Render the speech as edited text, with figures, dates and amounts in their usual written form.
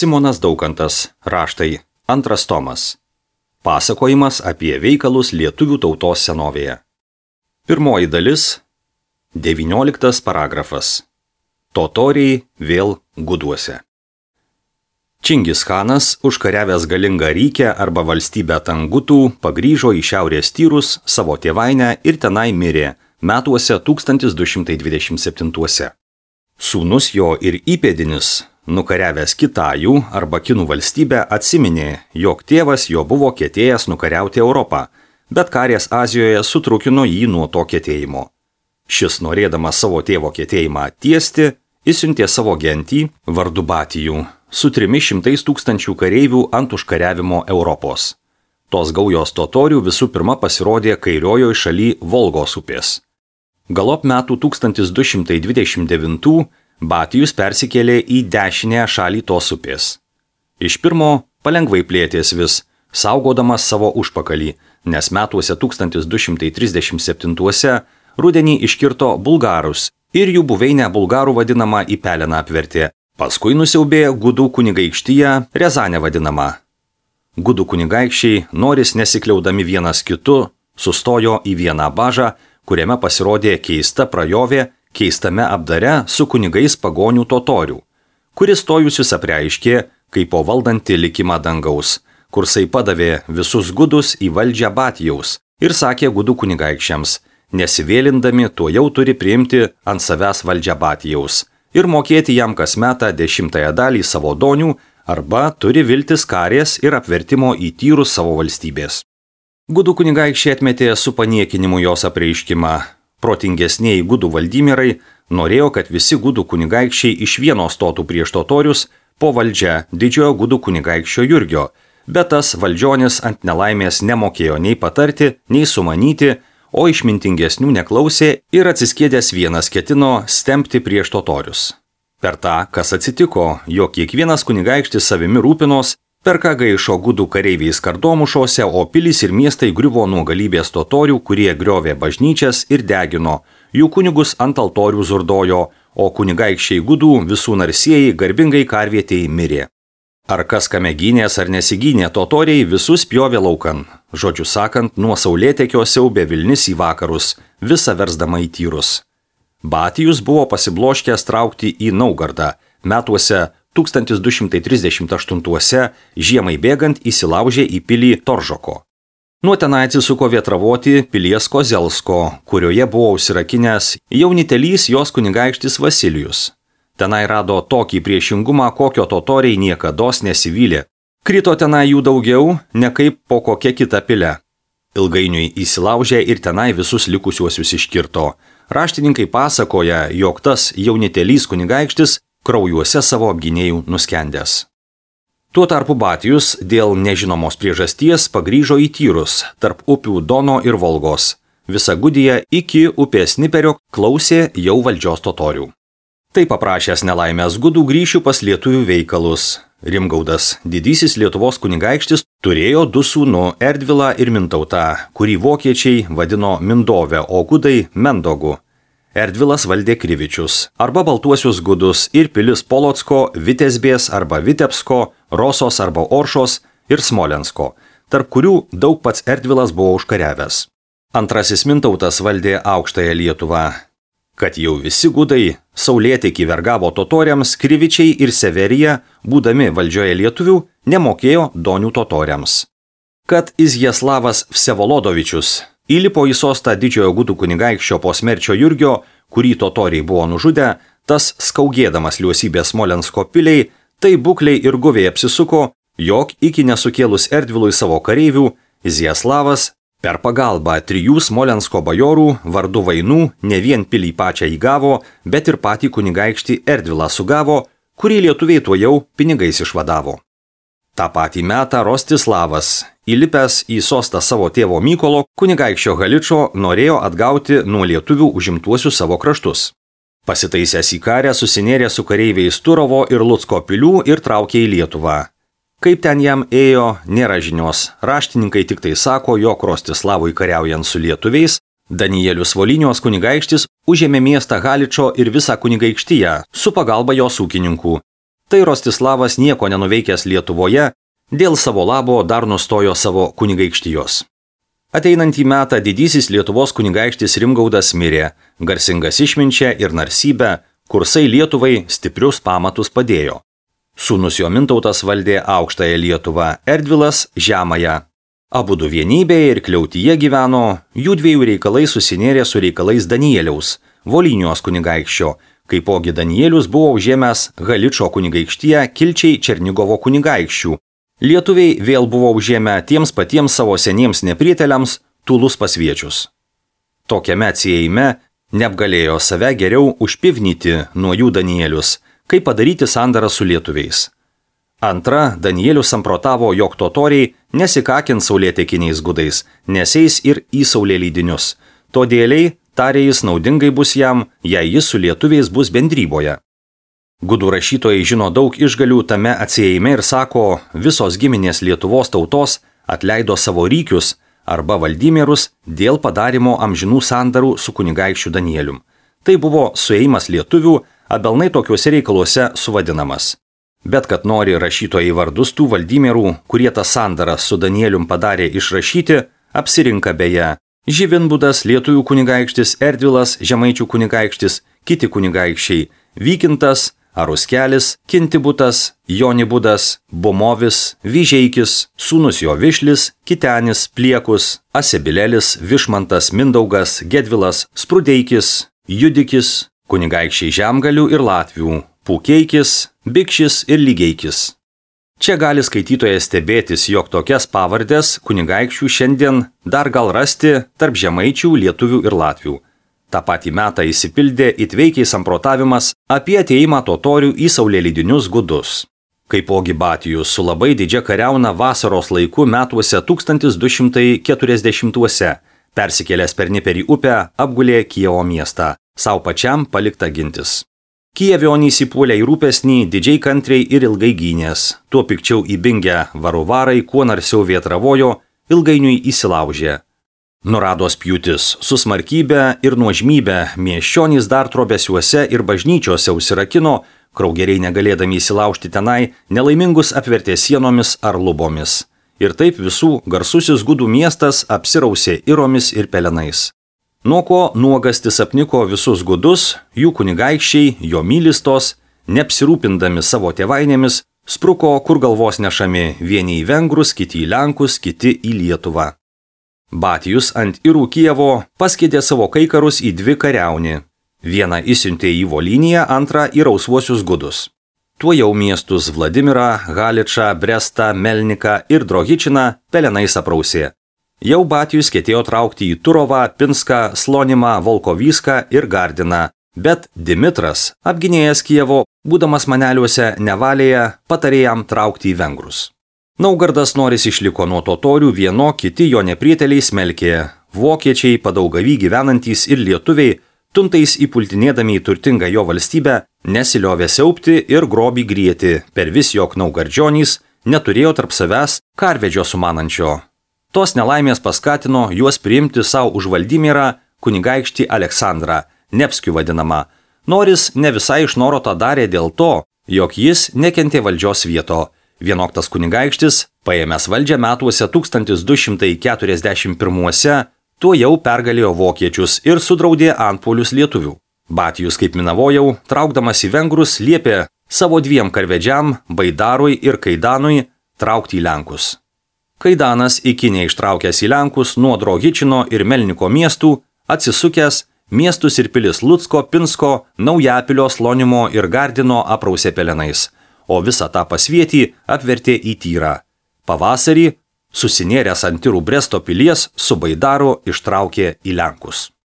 Simonas Daukantas, raštai, 2 tomas. Pasakojimas apie veikalus lietuvių tautos senovėje. Pirmoji dalis, 19 paragrafas. Totoriai vėl guduose. Čingis Chanas, užkariavęs galingą Rykę arba valstybę Tangutų, pagrįžo į šiaurės Tyrus, savo tėvainę ir tenai mirė, metuose 1227. Sūnus jo ir įpėdinis, nukariavęs Kitajų arba Kinų valstybę, atsiminė, jog tėvas jo buvo ketėjęs nukariauti Europą, bet karės Azijoje sutrukino jį nuo to ketėjimo. Šis, norėdamas savo tėvo ketėjimą tiesti, išsiuntė savo gentį, vardu Batijų, su 300 000 kareivių ant užkariavimo Europos. Tos gaujos totorių visų pirma pasirodė kairiojoje šaly Volgos upės. Galop metų 1229 Batijus persikėlė į dešinę šalį tos upės. Iš pirmo palengvai plėtės vis, saugodamas savo užpakalį, nes metuose 1237 rudenį iškirto bulgarus ir jų buveinę bulgarų vadinamą į Peleną apvertė. Paskui nusiaubė Gudų kunigaikštiją, Rezanę vadinamą. Gudų kunigaikščiai, noris nesikliaudami vienas kitu, sustojo į vieną bažą, kuriame pasirodė keista prajovė, keistame apdare su kunigais pagonių totorių, kuris stojusius apreiškė, kaip po valdanti likimą dangaus, kursai padavė visus gudus į valdžią Batijaus ir sakė Gudų kunigaikščiams, nesivėlindami tuo jau turi priimti ant savęs valdžią Batijaus ir mokėti jam kas metą 10 dalį savo donių arba turi viltis karės ir apvertimo į Tyrus savo valstybės. Gudų kunigaikščiai atmetė su paniekinimu jos apreiškimą. Protingesnieji Gudų valdymierai norėjo, kad visi Gudų kunigaikščiai iš vieno stotų prieš totorius po valdžia didžiojo Gudų kunigaikščio Jurgio, bet tas valdžionis ant nelaimės nemokėjo nei patarti, nei sumanyti, o išmintingesnių neklausė ir atsiskėdęs vienas ketino stempti prieš totorius. Per tą, kas atsitiko, jog kiekvienas kunigaikštis savimi rūpinos, per ką gaišo Gudų kareiviai skardomušose, o pilys ir miestai griuvo nuo galybės totorių, kurie griovė bažnyčias ir degino, jų kunigus ant altorių zurdojo, o kunigaikščiai Gudų visų narsieji garbingai karvietėjai mirė. Ar kas kame gynės ar nesigynė, totoriai visus pjovė laukan. Žodžiu sakant, nuo saulėtekio siaubė vilnis į vakarus, visą versdama į Tyrus. Batijus buvo pasibloškęs traukti į Naugardą, metuose 1238 žiemai bėgant įsilaužė į pilį Toržoko. Nuo tenai atsisuko vėtravoti pilies Kozelsko, kurioje buvo užsirakinęs jaunitelys jos kunigaikštis Vasilijus. Tenai rado tokį priešingumą, kokio totoriai niekados nesivylė. Krito tenai jų daugiau, ne kaip po kokia kita pile. Ilgainiui įsilaužė ir tenai visus likusiuosius iškirto. Raštininkai pasakoja, jog tas jaunitelys kunigaikštis kraujuose savo apgynėjų nuskendęs. Tuo tarpu Batijus dėl nežinomos priežasties pagrįžo į Tyrus, tarp upių Dono ir Volgos. Visa Gudija iki upės Niperio klausė jau valdžios totorių. Tai paprašęs nelaimės Gudų grįšiu pas lietuvių veikalus. Rimgaudas, didysis Lietuvos kunigaikštis, turėjo 2 sūnų Erdvilą ir Mintautą, kurį vokiečiai vadino Mindove, o gudai Mendogu. Erdvilas valdė Krivičius, arba Baltuosius Gudus ir pilis Polocko, Vitesbės arba Vitebsko, Rosos arba Oršos ir Smolensko, tarp kurių daug pats Erdvilas buvo užkariavęs. Antrasis Mintautas valdė aukštąją Lietuvą. Kad jau visi gudai saulėtekį vergavo totoriams, Krivičiai ir Severija, būdami valdžioje lietuvių, nemokėjo donių totoriams. Kad Izjaslavas Vsevolodovičius įlipo į sostą didžiojo Gudų kunigaikščio po smerčio Jurgio, kurį totoriai buvo nužudę, tas skaugėdamas liuosybės Smolensko piliai, tai bukliai ir guviai apsisuko, jog iki nesukėlus Erdvilui savo kareivių, Izjaslavas per pagalbą 3 Smolensko bajorų vardu Vainų ne vien pilį pačią įgavo, bet ir patį kunigaikštį Erdvilą sugavo, kurį lietuviai tuojau pinigais išvadavo. Ta patį metą Rostislavas, įlipęs į sostą savo tėvo Mykolo, kunigaikščio Haličo, norėjo atgauti nuo lietuvių užimtuosius savo kraštus. Pasitaisęs į karę susinėrė su kareiviais Turovo ir Lucko pilių ir traukė į Lietuvą. Kaip ten jam ėjo, nėra žinios. Raštininkai tik tai sako, jog Rostislavui kariaujant su lietuviais, Danielius Volynios kunigaikštis užėmė miestą Haličo ir visą kunigaikštiją su pagalba jos ūkininkų. Tai Rostislavas nieko nenuveikęs Lietuvoje, dėl savo labo dar nustojo savo kunigaikštijos. Ateinantį metą didysis Lietuvos kunigaikštis Rimgaudas mirė, garsingas išminčia ir narsybę, kursai Lietuvai stiprius pamatus padėjo. Sūnus jo Mintautas valdė aukštąją Lietuvą, Erdvilas žemąją. Abudu vienybėje ir kliautyje gyveno, jų dviejų reikalai susinėrė su reikalais Danieliaus, Volynios kunigaikščio, kaipogi Danielius buvo užėmęs Haličo kunigaikštiją kilčiai Černigovo kunigaikščių. Lietuviai vėl buvo užėmę tiems patiems savo seniems neprieteliams Tūlus pasviečius. Tokiame atsiejime neapgalėjo save geriau užpivnyti nuo jų Danielius, kaip padaryti sandarą su lietuviais. Antra, Danielius samprotavo, jog totoriai nesikakins saulėtekiniais gudais, neseis ir į saulėlydinius. Todėliai, tarė jis, naudingai bus jam, jei jis su lietuviais bus bendryboje. Gudų rašytojai žino daug išgalių tame atsiejime ir sako, visos giminės Lietuvos tautos atleido savo rykius arba valdymierus dėl padarimo amžinų sandarų su kunigaikščiu Danielium. Tai buvo suėjimas lietuvių, abelnai tokiuose reikaluose suvadinamas. Bet kad nori rašytojai vardus tų valdymierų, kurie tą sandarą su Danielium padarė išrašyti, apsirinka beje Živinbudas, lietuvių kunigaikštis, Erdvilas, žemaičių kunigaikštis, kiti kunigaikščiai, Vykintas, Aruskelis, Kintibutas, Jonibudas, Bomovis, Vyžeikis, sūnus jo Višlis, Kitenis, Pliekus, Asebilelis, Višmantas, Mindaugas, Gedvilas, Sprudeikis, Judikis, kunigaikščiai Žemgalių ir Latvių, Pūkeikis, Bikšis ir Lygeikis. Čia gali skaitytojas stebėtis, jog tokias pavardės kunigaikščių šiandien dar gal rasti tarp žemaičių, lietuvių ir latvių. Ta patį metą įsipildė įtveikiai samprotavimas apie ateimą totorių į saulėlydinius gudus. Kaipogi Batijus su labai didžia kariauna vasaros laiku metuose 1240-uose, persikėlęs per Niperį upę, apgulė Kijevo miestą, savo pačiam palikta gintis. Kijevionys įpuolė į rūpesnį, didžiai kantriai ir ilgai gynės, tuo pikčiau įbingę varuvarai, kuo narsiau vėtravojo, ilgainiui įsilaužė. Nurados pjūtis, su smarkybe ir nuožmybe miesčionys dar trobesiuose ir bažnyčiose užsirakino, kraugeriai negalėdami įsilaužti tenai, nelaimingus apvertė sienomis ar lubomis. Ir taip visų garsusis gudų miestas apsirausė iromis ir pelenais. Nuo ko nuogastis apniko visus gudus, jų kunigaikščiai, jo mylistos, neapsirūpindami savo tėvainėmis, spruko kur galvos nešami, vieni į vengrus, kiti į lenkus, kiti į Lietuvą. Batijus ant irų Kijevo paskėdė savo kaikarus į dvi kariaunį. Vieną įsiuntė į Volyniją, antrą į rausvuosius gudus. Tuo jau miestus Vladimirą, Haličą, Brestą, Melniką ir Drohičiną pelenais aprausė. Jau Batijus ketėjo traukti į Turovą, Pinską, Slonimą, Volkovyską ir Gardiną, bet Dimitras, apginėjęs Kijevo, būdamas maneliuose nevalėje, patarė jam traukti į vengrus. Naugardas Noris išliko nuo totorių, vieno kiti jo neprieteliai smelkė. Vokiečiai, Padaugavy gyvenantys ir lietuviai, tuntais įpultinėdami į turtingą jo valstybę, nesiliovė siaubti ir grobį grieti, per vis jog naugardžionys neturėjo tarp savęs karvedžio sumanančio. Tos nelaimės paskatino juos priimti savo už Valdymirą kunigaikštį Aleksandrą, Nevskių vadinamą. Noris ne visai iš noro tą darė dėl to, jog jis nekentė valdžios vieto. Vienoktas kunigaikštis, paėmęs valdžią metuose 1241-uose, tuo jau pergalėjo vokiečius ir sudraudė antpuolius lietuvių. Batijus, kaip minavojau, traukdamas į vengrus, liepė savo dviem karvedžiam, Baidarui ir Kaidanui, traukti į lenkus. Kaidanas, iki neištraukęs į lenkus nuo Drohičino ir Melniko miestų, atsisukęs, miestus ir pilis Lucko, Pinsko, Naujapilio, Slonimo ir Gardino aprausė pelenais, o visą tą pasvietį apvertė į tyrą. Pavasarį, susinėręs ant tyrų Bresto pilies, su Baidaru ištraukė į lenkus.